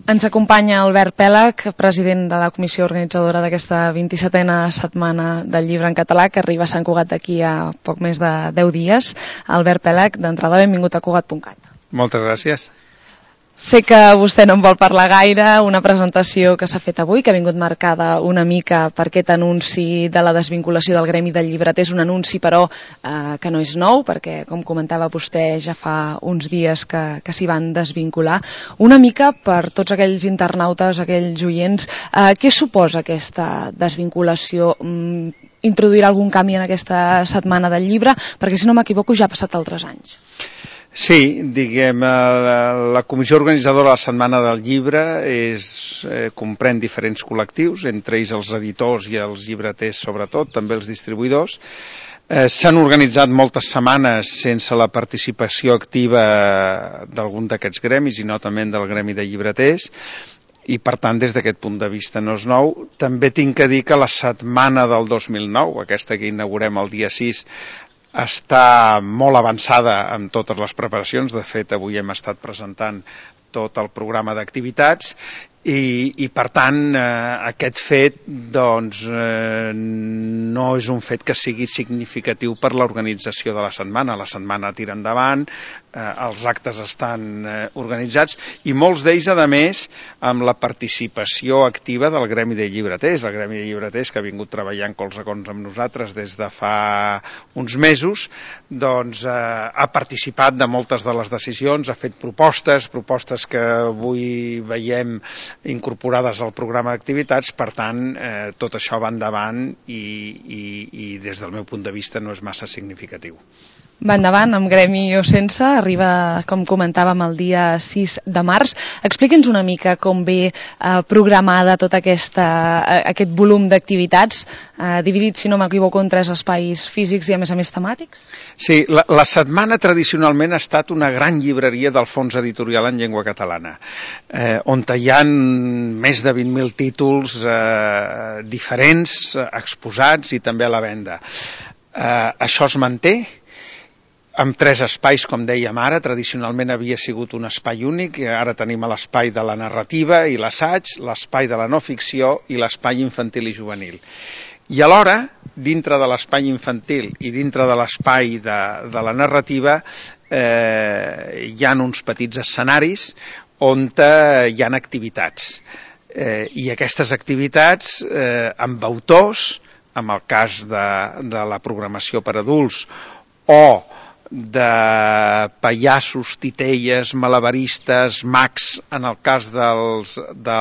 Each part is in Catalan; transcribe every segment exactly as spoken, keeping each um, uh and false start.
Ens acompanya Albert Pèlag, president de la comissió organitzadora d'aquesta vint-i-setena setmana del llibre en català, que arriba a Sant Cugat d'aquí a poc més de deu dies. Albert Pèlag, d'entrada, benvingut a Cugat punt cat. Moltes gràcies. Sé que vostè no en vol parlar gaire, una presentació que s'ha fet avui, que ha vingut marcada una mica per aquest anunci de la desvinculació del gremi del llibreter. És un anunci, però, eh, que no és nou, perquè, com comentava vostè, ja fa uns dies que, que s'hi van desvincular. Una mica per tots aquells internautes, aquells oients, eh, què suposa aquesta desvinculació? Mm, introduirà algun canvi en aquesta setmana del llibre? Perquè, si no m'equivoco, ja ha passat altres anys. Sí, diguem, la comissió organitzadora de la Setmana del Llibre és, eh, comprèn diferents col·lectius, entre ells els editors i els llibreters sobretot, també els distribuïdors. Eh, S'han organitzat moltes setmanes sense la participació activa d'algun d'aquests gremis i notament del gremi de llibreters, i per tant des d'aquest punt de vista no és nou. També tinc que dir que la setmana del dos mil nou, aquesta que inaugurem el dia sis, està molt avançada en totes les preparacions. De fet, avui hem estat presentant tot el programa d'activitats i, i per tant, eh, aquest fet doncs, eh, no és un fet que sigui significatiu per l'organització de la setmana. La setmana tira endavant, eh, els actes estan eh, organitzats i molts d'ells, a més, amb la participació activa del gremi de llibreters. El gremi de llibreters, que ha vingut treballant colze a colze amb nosaltres des de fa uns mesos, doncs, eh, ha participat de moltes de les decisions, ha fet propostes, propostes que avui veiem incorporades al programa d'activitats. Per tant, eh, tot això va endavant i, i, i des del meu punt de vista no és massa significatiu. Va endavant, amb gremi o sense, arriba, com comentàvem, el dia sis de març. Expliqui'ns una mica com ve eh, programada tot aquesta, eh, aquest volum d'activitats, eh, dividit, si no m'equivoco, en tres espais físics i, a més a més, temàtics? Sí, la, la setmana tradicionalment ha estat una gran llibreria del fons editorial en llengua catalana, eh, on hi ha més de vint mil títols eh, diferents, exposats i també a la venda. Eh, això es manté amb tres espais, com dèiem ara. Tradicionalment havia sigut un espai únic, ara tenim l'espai de la narrativa i l'assaig, l'espai de la no ficció i l'espai infantil i juvenil. I alhora, dintre de l'espai infantil i dintre de l'espai de, de la narrativa, eh, hi ha uns petits escenaris on hi ha activitats. Eh, I aquestes activitats, eh, amb autors, en el cas de, de la programació per adults, o de pallassos, titelles, malabaristes, mags, en el cas dels, de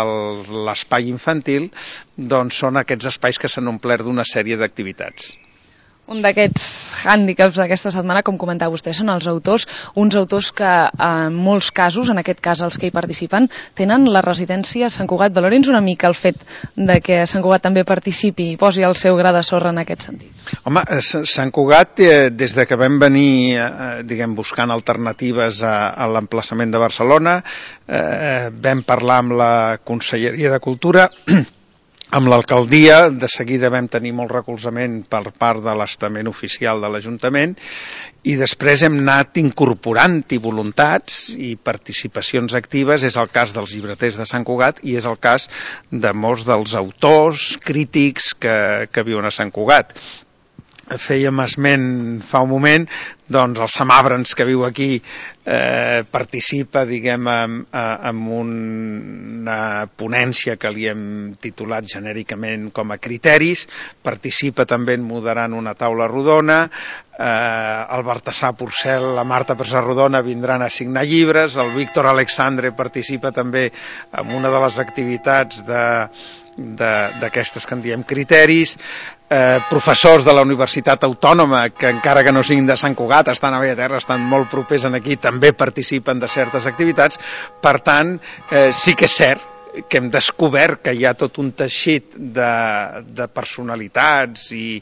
l'espai infantil, doncs són aquests espais que s'han omplert d'una sèrie d'activitats. Un d'aquests hàndicaps d'aquesta setmana, com comentava vostè, són els autors, uns autors que en molts casos, en aquest cas els que hi participen, tenen la residència a Sant Cugat. Valori'ns una mica el fet de que Sant Cugat també participi i posi el seu gra de sorra en aquest sentit. Home, Sant Cugat, eh, des de que vam venir eh, diguem, buscant alternatives a, a l'emplaçament de Barcelona, eh, vam parlar amb la Conselleria de Cultura, amb l'alcaldia, de seguida vam tenir molt recolzament per part de l'estament oficial de l'Ajuntament i després hem anat incorporant-hi voluntats i participacions actives. És el cas dels llibreters de Sant Cugat i és el cas de molts dels autors, crítics que, que viuen a Sant Cugat. Fèiem esment fa un moment, doncs el Sam Abrams, que viu aquí, eh, participa, diguem, en, en una ponència que li hem titulat genèricament com a criteris, participa també en moderant una taula rodona, eh, el Baltasar Porcel, la Marta Pérez-Rodona vindran a signar llibres, el Víctor Alexandre participa també en una de les activitats de d'aquestes que en diem criteris, eh, professors de la Universitat Autònoma que encara que no siguin de Sant Cugat, estan a Bellaterra, estan molt propers aquí, també participen de certes activitats. Per tant, eh, sí que és cert que hem descobert que hi ha tot un teixit de, de personalitats i,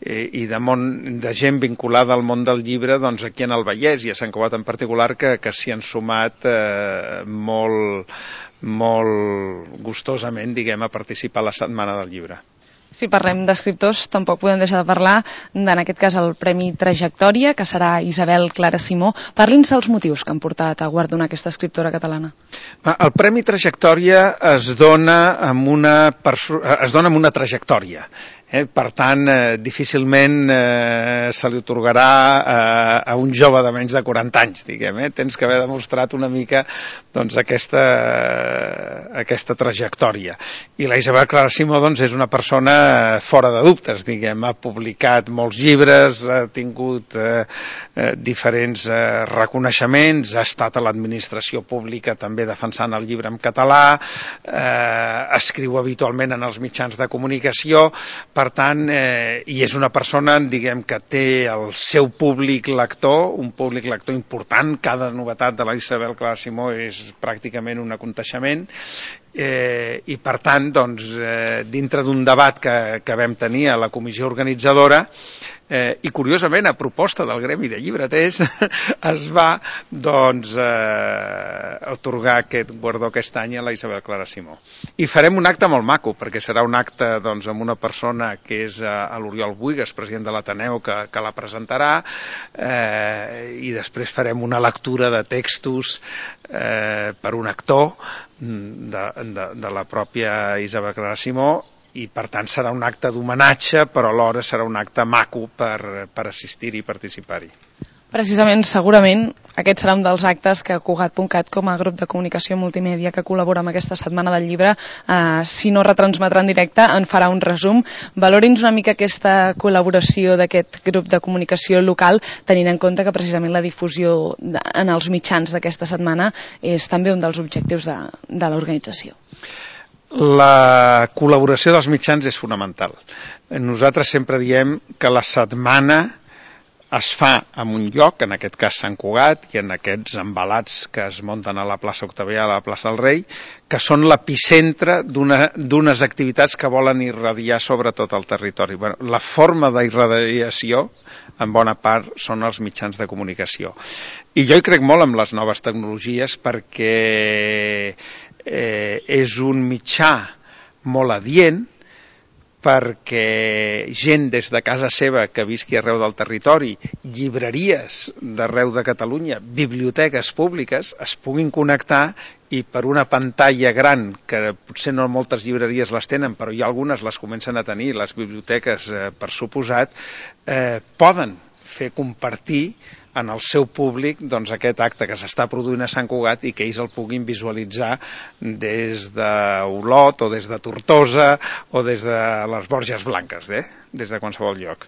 i de, món, de gent vinculada al món del llibre, doncs aquí en el Vallès i a Sant Cugat en particular, que, que s'hi han sumat eh, molt, molt gustosament, diguem, a participar a la Setmana del Llibre. Si parlem d'escriptors, tampoc podem deixar de parlar, en aquest cas, el Premi Trajectòria, que serà Isabel Clara Simó. Parli'ns dels motius que han portat a guardonar aquesta escriptora catalana. El Premi Trajectòria es dona amb una, es dona amb una trajectòria. Eh? Per tant, eh, difícilment eh, se li atorgarà eh, a un jove de menys de quaranta anys, diguem. Eh? Tens que haver demostrat una mica doncs, aquesta, aquesta trajectòria. I la Isabel Clara Simó doncs, és una persona fora de dubtes, diguem. Ha publicat molts llibres, ha tingut eh, eh, diferents eh, reconeixements, ha estat a l'administració pública també defensant el llibre en català, eh, escriu habitualment en els mitjans de comunicació. Per tant, eh, i és una persona, diguem, que té el seu públic lector, un públic lector important. Cada novetat de la Isabel Clara Simó és pràcticament un aconteixement. Eh, I per tant, doncs, eh, dintre d'un debat que, que vam tenir a la comissió organitzadora, eh, i curiosament a proposta del Gremi de Llibreters, es va doncs, eh, atorgar aquest guardó aquest any a la Isabel Clara Simó. I farem un acte molt maco, perquè serà un acte doncs, amb una persona que és eh, l'Oriol Buigas, president de l'Ateneu, que, que la presentarà, eh, i després farem una lectura de textos eh, per un actor de, de, de la pròpia Isabel Clara Simó, i per tant serà un acte d'homenatge, però alhora serà un acte maco per, per assistir-hi i participar-hi. Precisament, segurament, aquest serà un dels actes que Cugat punt cat, com a grup de comunicació multimèdia que col·labora amb aquesta Setmana del Llibre, eh, si no retransmetrà en directe, en farà un resum. Valori'ns una mica aquesta col·laboració d'aquest grup de comunicació local, tenint en compte que precisament la difusió de, en els mitjans d'aquesta setmana és també un dels objectius de, de l'organització. La col·laboració dels mitjans és fonamental. Nosaltres sempre diem que la setmana es fa en un lloc, en aquest cas Sant Cugat, i en aquests embalats que es munten a la plaça Octavià, a la plaça del Rei, que són l'epicentre d'unes activitats que volen irradiar sobre tot el territori. Bueno, la forma d'irradiació, en bona part, són els mitjans de comunicació. I jo hi crec molt en les noves tecnologies perquè eh, és un mitjà molt adient, perquè gent des de casa seva que visqui arreu del territori, llibreries d'arreu de Catalunya, biblioteques públiques, es puguin connectar i per una pantalla gran, que potser no moltes llibreries les tenen, però hi ha algunes les comencen a tenir, les biblioteques eh, per suposat, eh, poden fer compartir en el seu públic doncs, aquest acte que s'està produint a Sant Cugat i que ells el puguin visualitzar des d'Olot o des de Tortosa o des de les Borges Blanques, eh? Des de qualsevol lloc.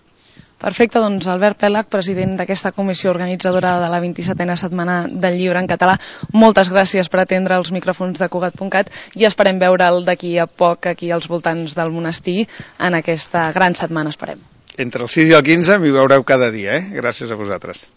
Perfecte, doncs Albert Pèlag, president d'aquesta comissió organitzadora de la vint-i-setena Setmana del Llibre en català, moltes gràcies per atendre els micròfons de Cugat punt cat i esperem veure'l d'aquí a poc aquí als voltants del monestir en aquesta gran setmana, esperem. Entre el sis i el quinze m'hi veureu cada dia, eh? Gràcies a vosaltres.